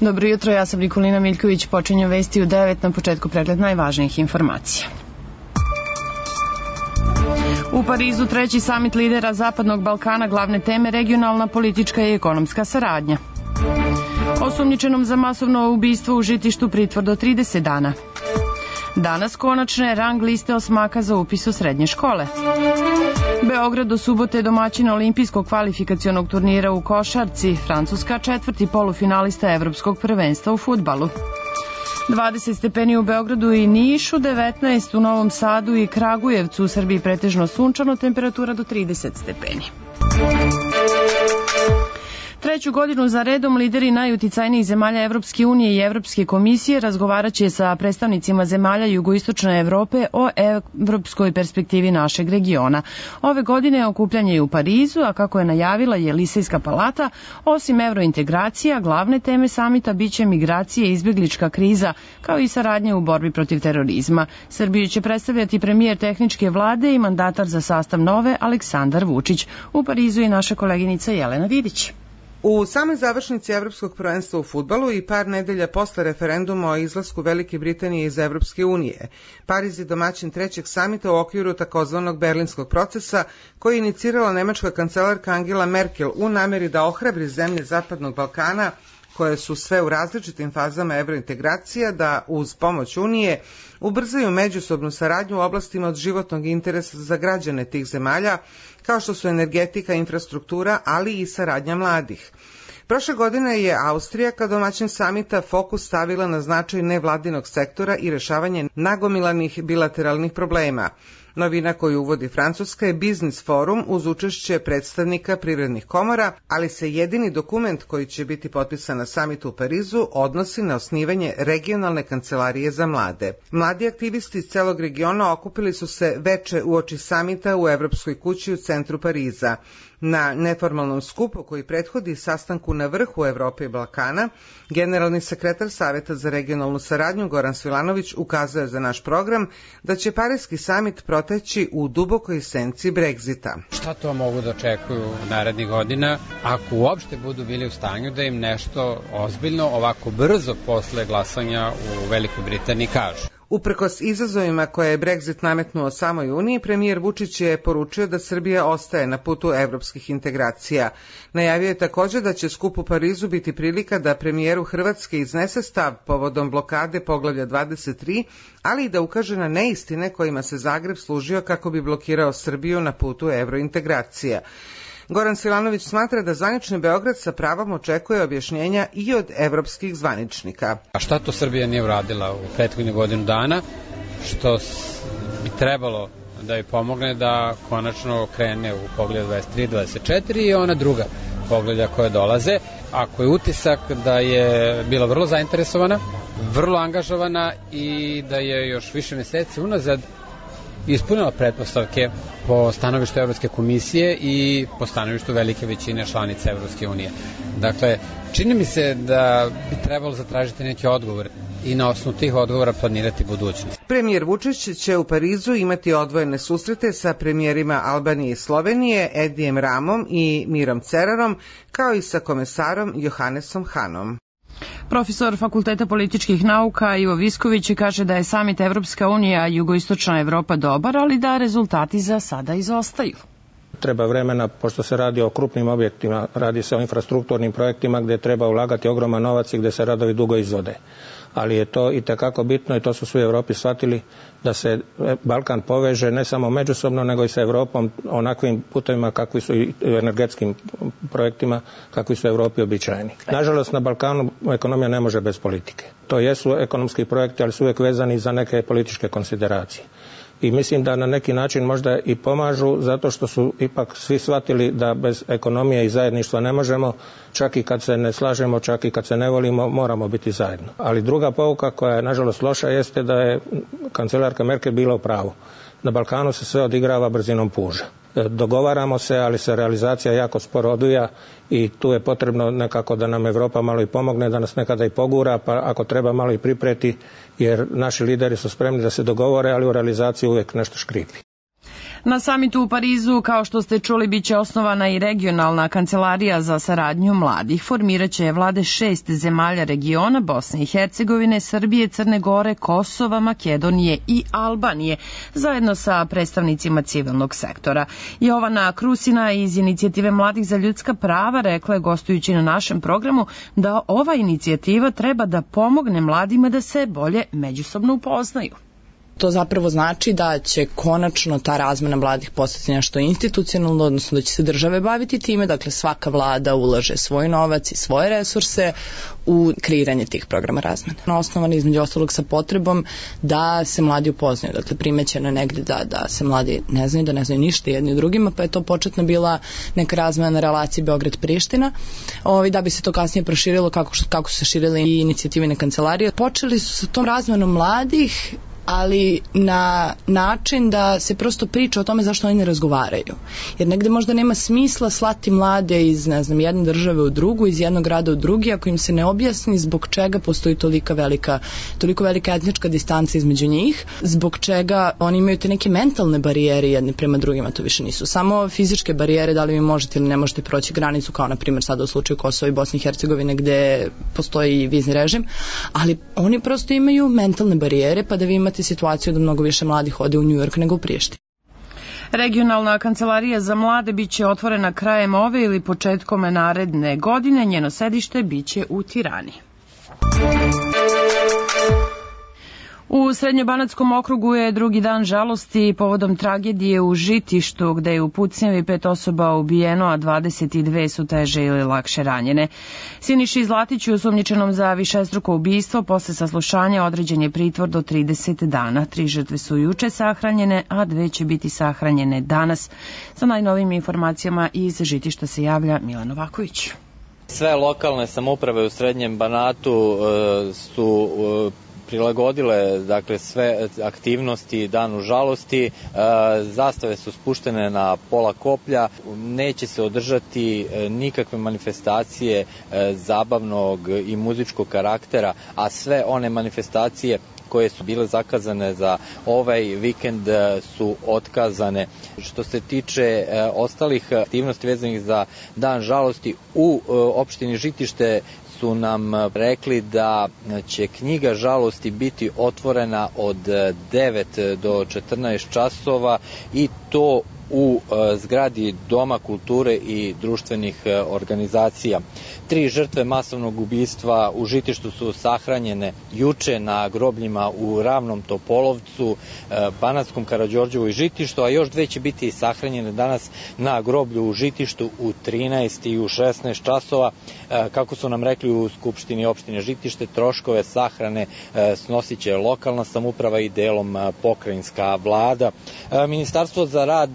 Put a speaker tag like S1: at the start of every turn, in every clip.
S1: Dobro jutro, ja sam Nikolina Miljković, počinju vesti u 9, na početku pregled najvažnijih informacija. U Parizu treći samit lidera Zapadnog Balkana, glavne teme regionalna, politička i ekonomska saradnja. Osumnjičenom za masovno ubistvo u Žitištu pritvor do 30 dana. Danas konačne rang liste osmaka za upis u srednje škole. Beograd do subote domaćin olimpijskog kvalifikacionog turnira u košarci, Francuska četvrti polufinalista evropskog prvenstva u fudbalu. 20 stepeni u Beogradu i Nišu, 19 u Novom Sadu i Kragujevcu, u Srbiji pretežno sunčano, temperatura do 30 stepeni. Treću godinu za redom lideri najuticajnijih zemalja Evropske unije i Evropske komisije razgovaraće sa predstavnicima zemalja jugoistočne Evrope o evropskoj perspektivi našeg regiona. Ove godine okupljanje je u Parizu, a kako je najavila Jelisejska palata, osim evrointegracija, glavne teme samita biće migracije i izbjeglička kriza, kao i saradnje u borbi protiv terorizma. Srbiju će predstavljati premijer tehničke vlade i mandatar za sastav nove Aleksandar Vučić. U Parizu je naša koleginica Jelena Vidić.
S2: U samoj završnici Evropskog prvenstva u fudbalu i par nedelja posle referenduma o izlasku Velike Britanije iz Evropske unije, Pariz je domaćin trećeg samita u okviru takozvanog berlinskog procesa koji je inicirala nemačka kancelarka Angela Merkel u nameri da ohrabri zemlje Zapadnog Balkana, koje su sve u različitim fazama evrointegracija, da uz pomoć Unije ubrzaju međusobnu saradnju u oblastima od životnog interesa za građane tih zemalja, kao što su energetika, infrastruktura, ali i saradnja mladih. Prošle godine je Austrija kao domaćin samita fokus stavila na značaj nevladinog sektora i rešavanje nagomilanih bilateralnih problema. Novina koju uvodi Francuska je Biznis forum uz učešće predstavnika privrednih komora, ali se jedini dokument koji će biti potpisan na samitu u Parizu odnosi na osnivanje regionalne kancelarije za mlade. Mladi aktivisti iz celog regiona okupili su se veče uoči samita u Evropskoj kući u centru Pariza. Na neformalnom skupu koji prethodi sastanku na vrhu Evrope i Balkana, generalni sekretar Saveta za regionalnu saradnju Goran Svilanović ukazao je za naš program da će Pariski samit proteći u dubokoj senci Brexita.
S3: Šta to mogu da očekuju narednih godina ako uopšte budu bili u stanju da im nešto ozbiljno ovako brzo posle glasanja u Velikoj Britaniji kažu?
S2: Uprkos izazovima koje je Brexit nametnuo samoj Uniji, premijer Vučić je poručio da Srbija ostaje na putu evropskih integracija. Najavio je također da će skup u Parizu biti prilika da premijeru Hrvatske iznese stav povodom blokade poglavlja 23, ali i da ukaže na neistine kojima se Zagreb služio kako bi blokirao Srbiju na putu evrointegracija. Goran Svilanović smatra da zvanični Beograd sa pravom očekuje objašnjenja i od evropskih zvaničnika.
S3: A šta to Srbija nije uradila u prethodnih godinu dana, što bi trebalo da joj pomogne da konačno krene u poglavlje 23, 24 i ona druga poglavlja koje dolaze, ako je utisak da je bila vrlo zainteresovana, vrlo angažovana i da je još više meseci unazad ispunila pretpostavke po stanovištu Evropske komisije i po stanovištu velike većine članica Evropske unije. Dakle, čini mi se da bi trebalo zatražiti neki odgovor i na osnovu tih odgovora planirati budućnost.
S2: Premijer Vučić će u Parizu imati odvojene susrete sa premijerima Albanije i Slovenije, Edijem Ramom i Mirom Cerarom, kao i sa komesarom Johannesom Hanom.
S1: Profesor Fakulteta političkih nauka Ivo Visković kaže da je samit Evropska unija i jugoistočna Evropa dobar, ali da rezultati za sada izostaju.
S4: Treba vremena, pošto se radi o krupnim objektima, radi se o infrastrukturnim projektima gdje treba ulagati ogroman novac i gdje se radovi dugo izvode. Ali je to i tekako bitno i to su svi u Europi shvatili da se Balkan poveže ne samo međusobno nego i sa Europom onakvim putevima kakvi su i energetskim projektima kakvi su u Europi običajni. Nažalost na Balkanu ekonomija ne može bez politike. To jesu ekonomski projekti, ali su uvijek vezani za neke političke konsideracije. I mislim da na neki način možda i pomažu zato što su ipak svi shvatili da bez ekonomije i zajedništva ne možemo, čak i kad se ne slažemo, čak i kad se ne volimo, moramo biti zajedno. Ali druga pouka koja je nažalost loša jeste da je kancelarka Merkel bila u pravu. Na Balkanu se sve odigrava brzinom puža. Dogovaramo se, ali se realizacija jako sporo odvija i tu je potrebno nekako da nam Europa malo i pomogne, da nas nekada i pogura, pa ako treba malo i pripreti, jer naši lideri su spremni da se dogovore, ali u realizaciji uvijek nešto škripi.
S1: Na samitu u Parizu, kao što ste čuli, biće osnovana i regionalna kancelarija za saradnju mladih. Formiraće je vlade 6 zemalja regiona, Bosne i Hercegovine, Srbije, Crne Gore, Kosova, Makedonije i Albanije, zajedno sa predstavnicima civilnog sektora. Jovana Krusina iz Inicijative mladih za ljudska prava rekla je, gostujući na našem programu, da ova inicijativa treba da pomogne mladima da se bolje međusobno upoznaju.
S5: To zapravo znači da će konačno ta razmena mladih postati nešto institucionalno, odnosno da će se države baviti time, dakle svaka vlada ulaže svoj novac i svoje resurse u kreiranje tih programa razmene. Osnovan između ostalog sa potrebom da se mladi upoznaju, dakle primećeno negdje da se mladi ne znaju ništa jedni drugima, pa je to početno bila neka razmena na relaciji Beograd-Priština, da bi se to kasnije proširilo kako su se širile i inicijativne kancelarije. Počeli su sa tom razmenom mladih, ali na način da se prosto priča o tome zašto oni ne razgovaraju. Jer negde možda nema smisla slati mlade iz, jedne države u drugu, iz jednog grada u drugi, ako im se ne objasni zbog čega postoji toliko velika etnička distanca između njih, zbog čega oni imaju te neke mentalne barijere jedni prema drugima, to više nisu samo fizičke barijere, da li vi možete ili ne možete proći granicu, kao na primjer sada u slučaju Kosova i Bosne i Hercegovine gde postoji vizni režim, ali oni prosto imaju mentalne barijere, pa da vi imate situaciju da mnogo više mladih ode u New York nego u Prištinu.
S1: Regionalna kancelarija za mlade biće otvorena krajem ove ili početkom naredne godine. Njeno sedište biće u Tirani. U Srednjobanatskom okrugu je drugi dan žalosti povodom tragedije u Žitištu, gde je u pucnjavi 5 osoba ubijeno, a 22 su teže ili lakše ranjene. Siniši Zlatiću, osumnjičenom za višestruko ubistvo, posle saslušanja određen je pritvor do 30 dana. 3 žrtve su juče sahranjene, a 2 će biti sahranjene danas. Sa najnovijim informacijama iz Žitišta se javlja Milan Novaković.
S6: Sve lokalne samouprave u Srednjem Banatu su prilagodile sve aktivnosti danu žalosti, zastave su spuštene na pola koplja, neće se održati nikakve manifestacije zabavnog i muzičkog karaktera, a sve one manifestacije koje su bile zakazane za ovaj vikend su otkazane. Što se tiče ostalih aktivnosti vezanih za dan žalosti, u opštini Žitište su nam rekli da će knjiga žalosti biti otvorena od 9 do 14 časova i to u zgradi Doma kulture i društvenih organizacija. 3 žrtve masovnog ubistva u Žitištu su sahranjene juče na grobljima u Ravnom Topolovcu, Banatskom Karađorđevu i Žitištu, a još 2 će biti sahranjene danas na groblju u Žitištu u 13 i u 16 časova. Kako su nam rekli u Skupštini opštine Žitište, troškove sahrane snosit će lokalna samouprava i delom pokrajinska vlada. Ministarstvo za rad,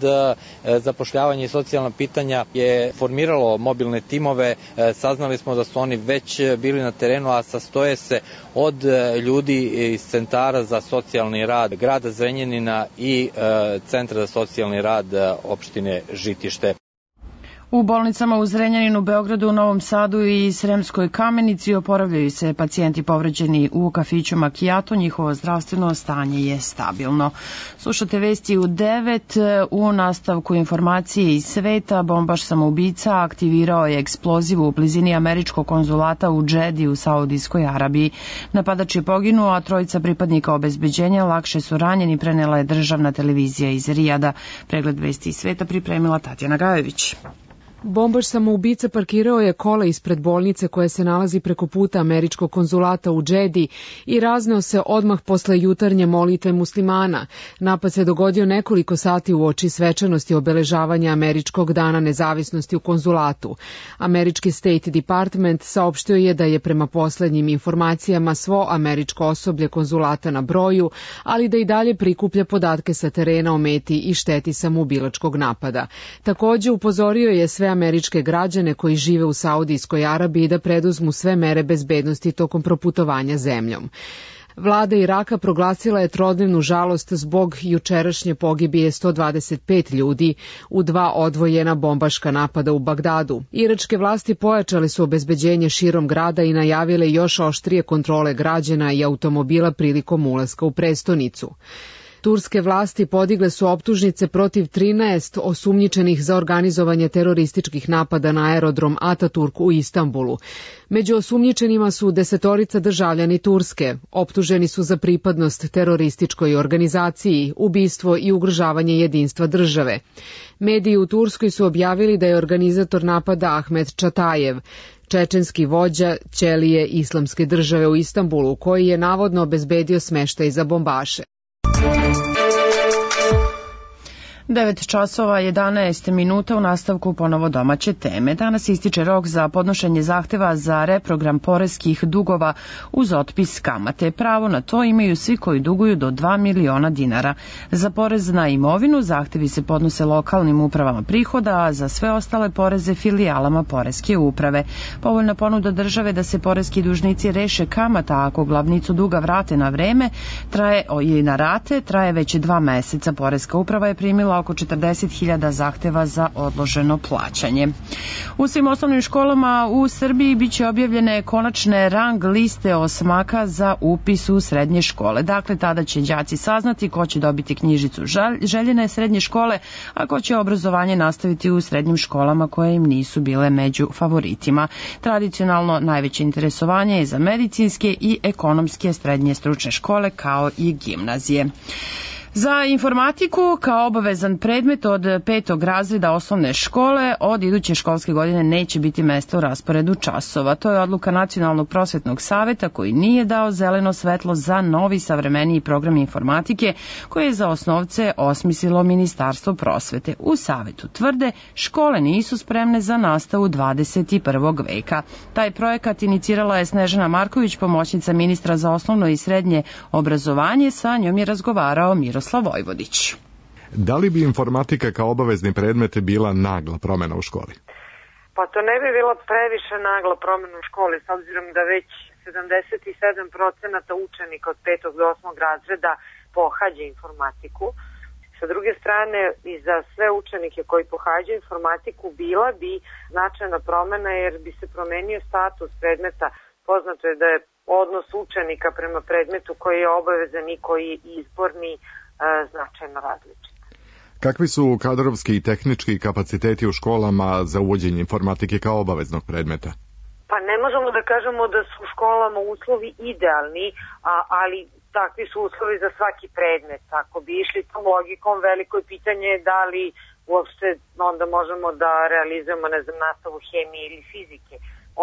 S6: zapošljavanje i socijalna pitanja je formiralo mobilne timove. Saznali smo da su oni već bili na terenu, a sastoje se od ljudi iz centara za socijalni rad grada Zrenjanina i centra za socijalni rad opštine Žitište.
S1: U bolnicama u Zrenjaninu, Beogradu, Novom Sadu i Sremskoj Kamenici oporavljaju se pacijenti povređeni u kafiću Macchiato. Njihovo zdravstveno stanje je stabilno. Slušate vesti u 9. U nastavku informacije iz sveta. Bombaš samoubica aktivirao je eksploziv u blizini američkog konzulata u Džedi u Saudijskoj Arabiji. Napadač je poginuo, a 3 pripadnika obezbeđenja lakše su ranjeni, prenela je državna televizija iz Rijada. Pregled vesti iz sveta pripremila Tatjana Gajević.
S7: Bombaš samoubica parkirao je kola ispred bolnice koja se nalazi preko puta američkog konzulata u Džedi i razneo se odmah posle jutarnje molitve muslimana. Napad se dogodio nekoliko sati uoči svečanosti obeležavanja Američkog dana nezavisnosti u konzulatu. Američki State Department saopštio je da je prema poslednjim informacijama svo američko osoblje konzulata na broju, ali da i dalje prikuplja podatke sa terena o meti i šteti samoubilačkog napada. Takođe upozorio je sve američke građane koji žive u Saudijskoj Arabiji da preduzmu sve mere bezbednosti tokom proputovanja zemljom. Vlada Iraka proglasila je trodnevnu žalost zbog jučerašnje pogibije 125 ljudi u 2 odvojena bombaška napada u Bagdadu. Iračke vlasti pojačale su obezbeđenje širom grada i najavile još oštrije kontrole građana i automobila prilikom ulaska u prestonicu. Turske vlasti podigle su optužnice protiv 13 osumnjičenih za organizovanje terorističkih napada na aerodrom Ataturk u Istanbulu. Među osumnjičenima su 10 državljani Turske. Optuženi su za pripadnost terorističkoj organizaciji, ubistvo i ugrožavanje jedinstva države. Mediji u Turskoj su objavili da je organizator napada Ahmet Čatajev, čečenski vođa ćelije Islamske države u Istanbulu, koji je navodno obezbedio smeštaj za bombaše.
S1: 9 časova 11 minuta u nastavku ponovo domaće teme. Danas ističe rok za podnošenje zahteva za reprogram poreskih dugova uz otpis kamate. Pravo na to imaju svi koji duguju do 2 miliona dinara. Za porez na imovinu zahtevi se podnose lokalnim upravama prihoda, a za sve ostale poreze filijalama poreske uprave. Povoljna ponuda države da se poreski dužnici reše kamata ako glavnicu duga vrate na vreme ili na rate traje već 2 meseca. Poreska uprava je primila oko 40.000 zahteva za odloženo plaćanje. U svim osnovnim školama u Srbiji biće objavljene konačne rang liste osmaka za upis u srednje škole. Dakle, tada će đaci saznati ko će dobiti knjižicu željene srednje škole, a ko će obrazovanje nastaviti u srednjim školama koje im nisu bile među favoritima. Tradicionalno najveće interesovanje je za medicinske i ekonomske srednje stručne škole kao i gimnazije. Za informatiku kao obavezan predmet od 5. razreda osnovne škole od iduće školske godine neće biti mesta u rasporedu časova. To je odluka Nacionalnog prosvetnog saveta koji nije dao zeleno svetlo za novi savremeniji program informatike koji je za osnovce osmislilo Ministarstvo prosvete. U savetu tvrde škole nisu spremne za nastavu 21. veka. Taj projekat inicirala je Snežana Marković, pomoćnica ministra za osnovno i srednje obrazovanje. Sa njom je razgovarao Miroslav Vojvodić.
S8: Da li bi informatika kao obavezni predmet bila nagla promjena u školi?
S9: Pa to ne bi bila previše nagla promjena u školi, s obzirom da već 77% učenika od 5. do 8. razreda pohađa informatiku. Sa druge strane, i za sve učenike koji pohađaju informatiku bila bi značajna promjena jer bi se promenio status predmeta. Poznato je da je odnos učenika prema predmetu koji je obavezan i koji je izborni značajno različit.
S8: Kakvi su kadrovski i tehnički kapaciteti u školama za uvođenje informatike kao obaveznog predmeta?
S9: Pa ne možemo da kažemo da su u školama uslovi idealni, ali takvi su uslovi za svaki predmet. Ako bi išli tom logikom, veliko je pitanje da li uopšte onda možemo da realizujemo nastavu hemije ili fizike.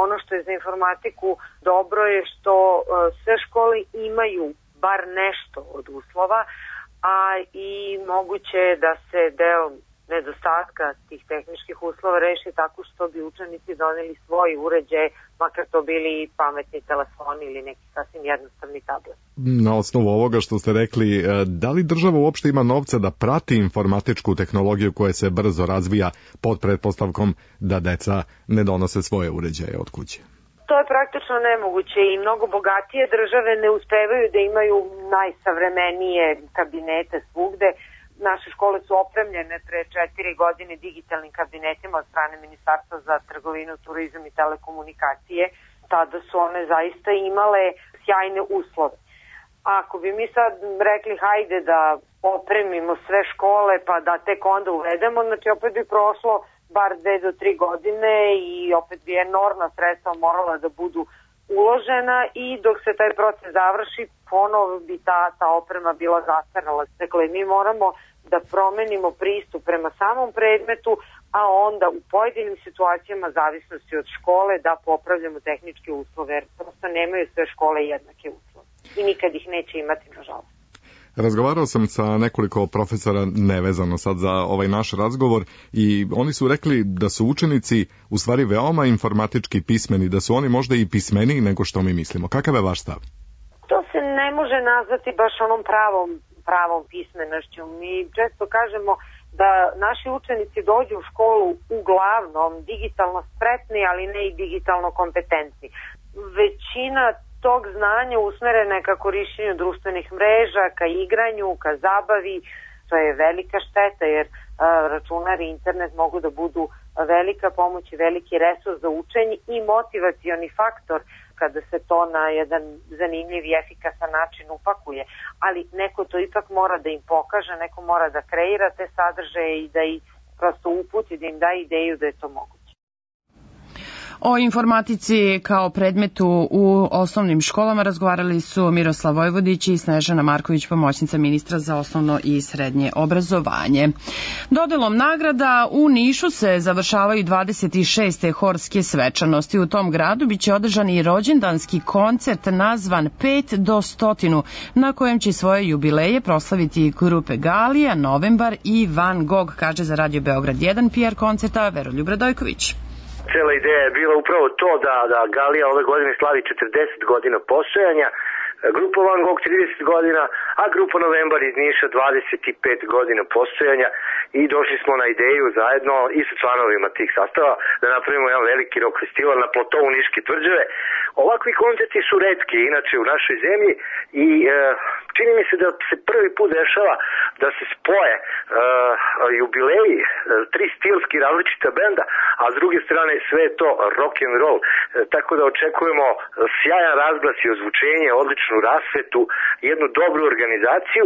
S9: Ono što je za informatiku dobro je što sve škole imaju bar nešto od uslova, a i moguće je da se deo nedostatka tih tehničkih uslova reši tako što bi učenici doneli svoj uređaj, makar to bili pametni telefoni ili neki sasvim jednostavni tablet.
S8: Na osnovu ovoga što ste rekli, da li država uopšte ima novca da prati informatičku tehnologiju koja se brzo razvija pod pretpostavkom da deca ne donose svoje uređaje od kuće?
S9: To je praktično nemoguće i mnogo bogatije države ne uspevaju da imaju najsavremenije kabinete svugde. Naše škole su opremljene pre 4 godine digitalnim kabinetima od strane Ministarstva za trgovinu, turizam i telekomunikacije. Tada su one zaista imale sjajne uslove. Ako bi mi sad rekli hajde da opremimo sve škole pa da tek onda uvedemo, znači opet bi prošlo bar 2 do 3 godine i opet bi enormna sredstva morala da budu uložena i dok se taj proces završi ponovo bi ta oprema bila zastarala. Dakle, mi moramo da promenimo pristup prema samom predmetu, a onda u pojedinim situacijama zavisnosti od škole da popravljamo tehničke uslove, jer prosto nemaju sve škole jednake uslove i nikad ih neće imati, nažalost.
S8: Razgovarao sam sa nekoliko profesora nevezano sad za ovaj naš razgovor i oni su rekli da su učenici u stvari veoma informatički pismeni, da su oni možda i pismeniji nego što mi mislimo. Kakav je vaš stav?
S9: To se ne može nazvati baš onom pravom pismenošću. Mi često kažemo da naši učenici dođu u školu uglavnom digitalno spretni, ali ne i digitalno kompetentni. Većina tog znanja usmerena je ka korišćenju društvenih mreža, ka igranju, ka zabavi. To je velika šteta jer računar i internet mogu da budu velika pomoć i veliki resurs za učenje i motivacioni faktor kada se to na jedan zanimljiv i efikasan način upakuje, ali neko to ipak mora da im pokaže, neko mora da kreira te sadržaje i da ih prosto uputi, da im da ideju da je to moguće.
S1: O informatici kao predmetu u osnovnim školama razgovarali su Miroslav Vojvodić i Snežana Marković, pomoćnica ministra za osnovno i srednje obrazovanje. Dodelom nagrada u Nišu se završavaju 26. horske svečanosti. U tom gradu biće održan i rođendanski koncert nazvan 5 do 100, na kojem će svoje jubileje proslaviti grupe Galija, Novembar i Van Gogh, kaže za Radio Beograd 1 PR koncerta Veroljub Radojković.
S10: Cela ideja je bila upravo to da Galija ove godine slavi 40 godina postojanja, grupa Van Gogh 30 godina, a grupa Novembar iz Niša 25 godina postojanja i došli smo na ideju zajedno i sa članovima tih sastava da napravimo jedan veliki rock festival na platovu Niške tvrđave. Ovakvi koncerti su retki inače u našoj zemlji i čini mi se da se prvi put dešava da se spoje jubileji, tri stilski različita benda, a s druge strane sve je to rock and roll. Tako da očekujemo sjajan razglas i ozvučenje, odličnu rasvetu, jednu dobru organizaciju.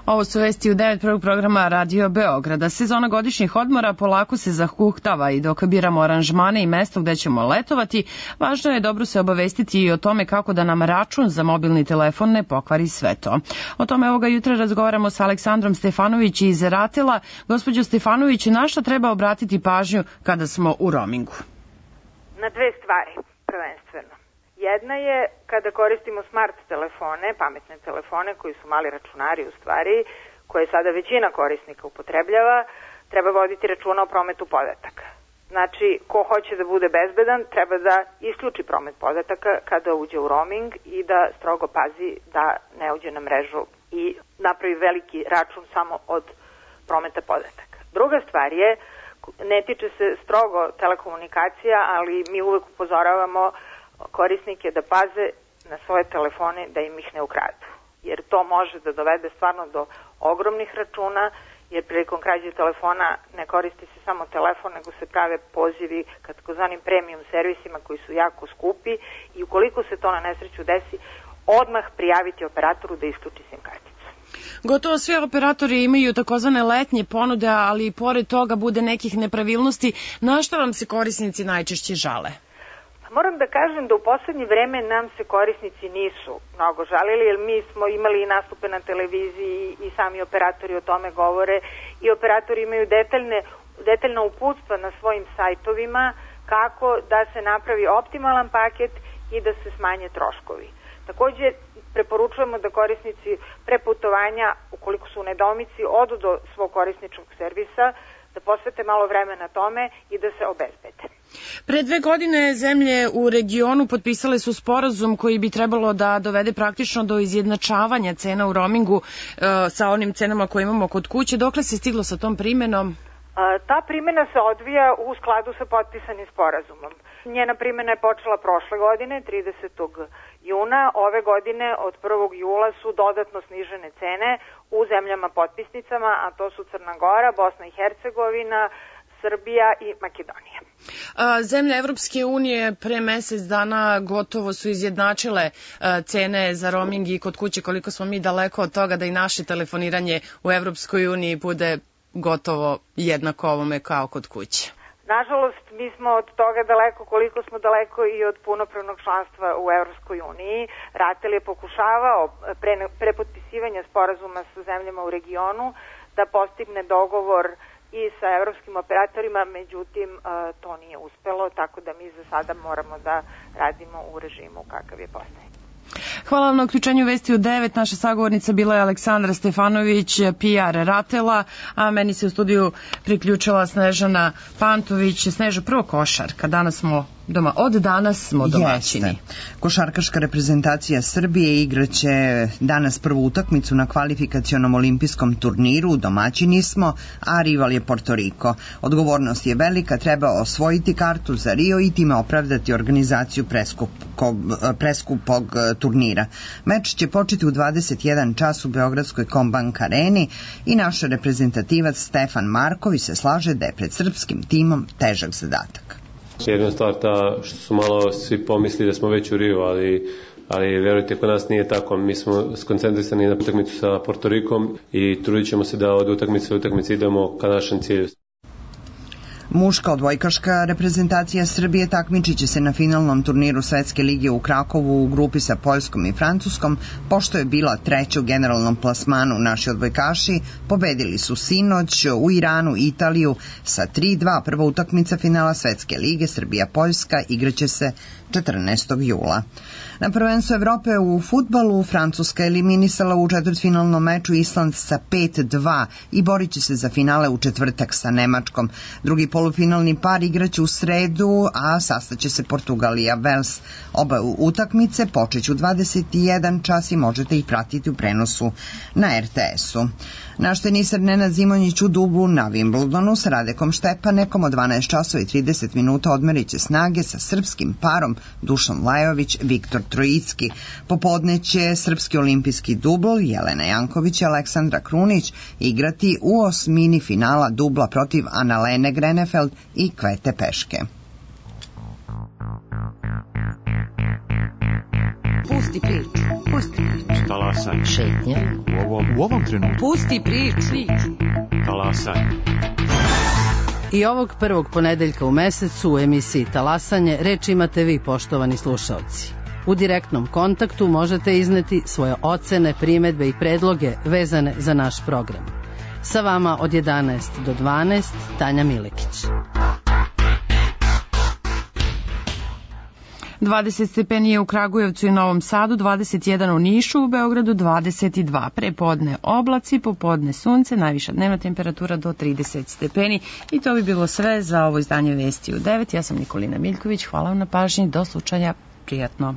S1: Ovo su vesti u 9 prvog programa Radio Beograda. Sezona godišnjih odmora polako se zahuktava i dok biramo aranžmane i mesto gde ćemo letovati, važno je dobro se obavestiti i o tome kako da nam račun za mobilni telefon ne pokvari sve to. O tome ovoga jutra razgovaramo sa Aleksandrom Stefanović iz Ratela. Gospođo Stefanović, na šta treba obratiti pažnju kada smo u roamingu?
S11: Na dve stvari, prvenstveno. Jedna je kada koristimo smart telefone, pametne telefone koji su mali računari u stvari, koje sada većina korisnika upotrebljava, treba voditi računa o prometu podataka. Znači, ko hoće da bude bezbedan, treba da isključi promet podataka kada uđe u roaming i da strogo pazi da ne uđe na mrežu i napravi veliki račun samo od prometa podataka. Druga stvar je, ne tiče se strogo telekomunikacija, ali mi uvek upozoravamo korisnike da paze na svoje telefone da im ih ne ukradu. Jer to može da dovede stvarno do ogromnih računa, jer prilikom krađe telefona ne koristi se samo telefon, nego se prave pozivi ka takozvanim premium servisima koji su jako skupi i ukoliko se to na nesreću desi, odmah prijaviti operatoru da isključi SIM karticu.
S1: Gotovo sve operatori imaju takozvane letnje ponude, ali i pored toga bude nekih nepravilnosti. Na što vam se korisnici najčešće žale?
S11: Moram da kažem da u poslednje vreme nam se korisnici nisu mnogo žalili, jer mi smo imali i nastupe na televiziji i sami operatori o tome govore i operatori imaju detaljna uputstva na svojim sajtovima kako da se napravi optimalan paket i da se smanje troškovi. Takođe, preporučujemo da korisnici pre putovanja, ukoliko su u nedoumici, odu do svog korisničkog servisa, da posvete malo vremena tome i da se obezbede.
S1: Pre 2 godine zemlje u regionu potpisale su sporazum koji bi trebalo da dovede praktično do izjednačavanja cena u roamingu sa onim cenama koje imamo kod kuće. Dokle se stiglo sa tom primenom?
S11: Ta primena se odvija u skladu sa potpisanim sporazumom. Njena primena je počela prošle godine, 30. juna. Ove godine od 1. jula su dodatno snižene cene u zemljama potpisnicama, a to su Crna Gora, Bosna i Hercegovina, Srbija i Makedonija.
S1: Zemlje Evropske unije pre mesec dana gotovo su izjednačile cene za roaming i kod kuće. Koliko smo mi daleko od toga da i naše telefoniranje u Evropskoj uniji bude gotovo jednako ovome kao kod kuće?
S11: Nažalost, mi smo od toga daleko koliko smo daleko i od punopravnog članstva u Evropskoj uniji. Ratel je pokušavao pre potpisivanja sporazuma sa zemljama u regionu da postigne dogovor i sa evropskim operatorima, međutim to nije uspelo, tako da mi za sada moramo da radimo u režimu kakav je postavljen.
S1: Hvala vam na uključenju vesti u 9. Naša sagovornica bila je Aleksandra Stefanović, PR Ratela, a meni se u studiju priključila Snežana Pantović. Sneža, prvo košarka. Od danas smo domaćini.
S12: Jeste. Košarkaška reprezentacija Srbije igraće danas prvu utakmicu na kvalifikacionom olimpijskom turniru. Domaćini smo, a rival je Porto Riko. Odgovornost je velika, treba osvojiti kartu za Rio i time opravdati organizaciju preskupog turnira. Meč će početi u 21 čas u Beogradskoj Kombank areni i naš reprezentativac Stefan Marković se slaže da je pred srpskim timom težak zadatak.
S13: Jedna stvar ta što su malo svi pomislili da smo već u Riju, ali verujte, kod nas nije tako. Mi smo skoncentrisani na utakmicu sa Portorikom i trudit ćemo se da od utakmice do utakmice idemo ka našem cilju.
S12: Muška odbojkaška reprezentacija Srbije takmičit će se na finalnom turniru Svetske lige u Krakovu u grupi sa Poljskom i Francuskom, pošto je bila treća u generalnom plasmanu. Naši odbojkaši pobedili su sinoć u Iranu Italiju sa 3-2. Prva utakmica finala Svetske lige Srbija-Poljska igraće se 14. jula. Na prvenstvu Evrope u fudbalu Francuska eliminisala u četvrtfinalnom meču Island sa 5-2 i borit će se za finale u četvrtak sa Nemačkom. Drugi polufinalni par igraće u sredu, a sastaće se Portugalija Vels. Oba utakmice počeću 21 čas i možete ih pratiti u prenosu na RTS-u. Naš tenisar Nenad Zimonjić u dublu na Wimbledonu sa Radekom Štepanekom od 12 časova i 30 minuta odmerit će snage sa srpskim parom Dušan Lajović, Viktor Trojicki. Popodne će srpski olimpijski dubl Jelena Janković i Aleksandra Krunić igrati u osmini finala dubla protiv Annalene Grenefeld i Kvete Peške.
S14: Pusti priču.
S15: Talasaj.
S14: Šetnja.
S15: U ovom trenutku.
S14: Pusti priču.
S15: Talasaj.
S14: I ovog prvog ponedeljka u mesecu u emisiji Talasanje reč imate vi, poštovani slušaoci. U direktnom kontaktu možete izneti svoje ocene, primedbe i predloge vezane za naš program. Sa vama od 11 do 12 Tanja Milekić.
S1: 20 stepeni je u Kragujevcu i Novom Sadu, 21 u Nišu, u Beogradu 22. Prepodne oblaci, popodne sunce, najviša dnevna temperatura do 30 stepeni. I to bi bilo sve za ovo izdanje Vesti u 9. Ja sam Nikolina Miljković, hvala vam na pažnji, do slučaja, prijatno.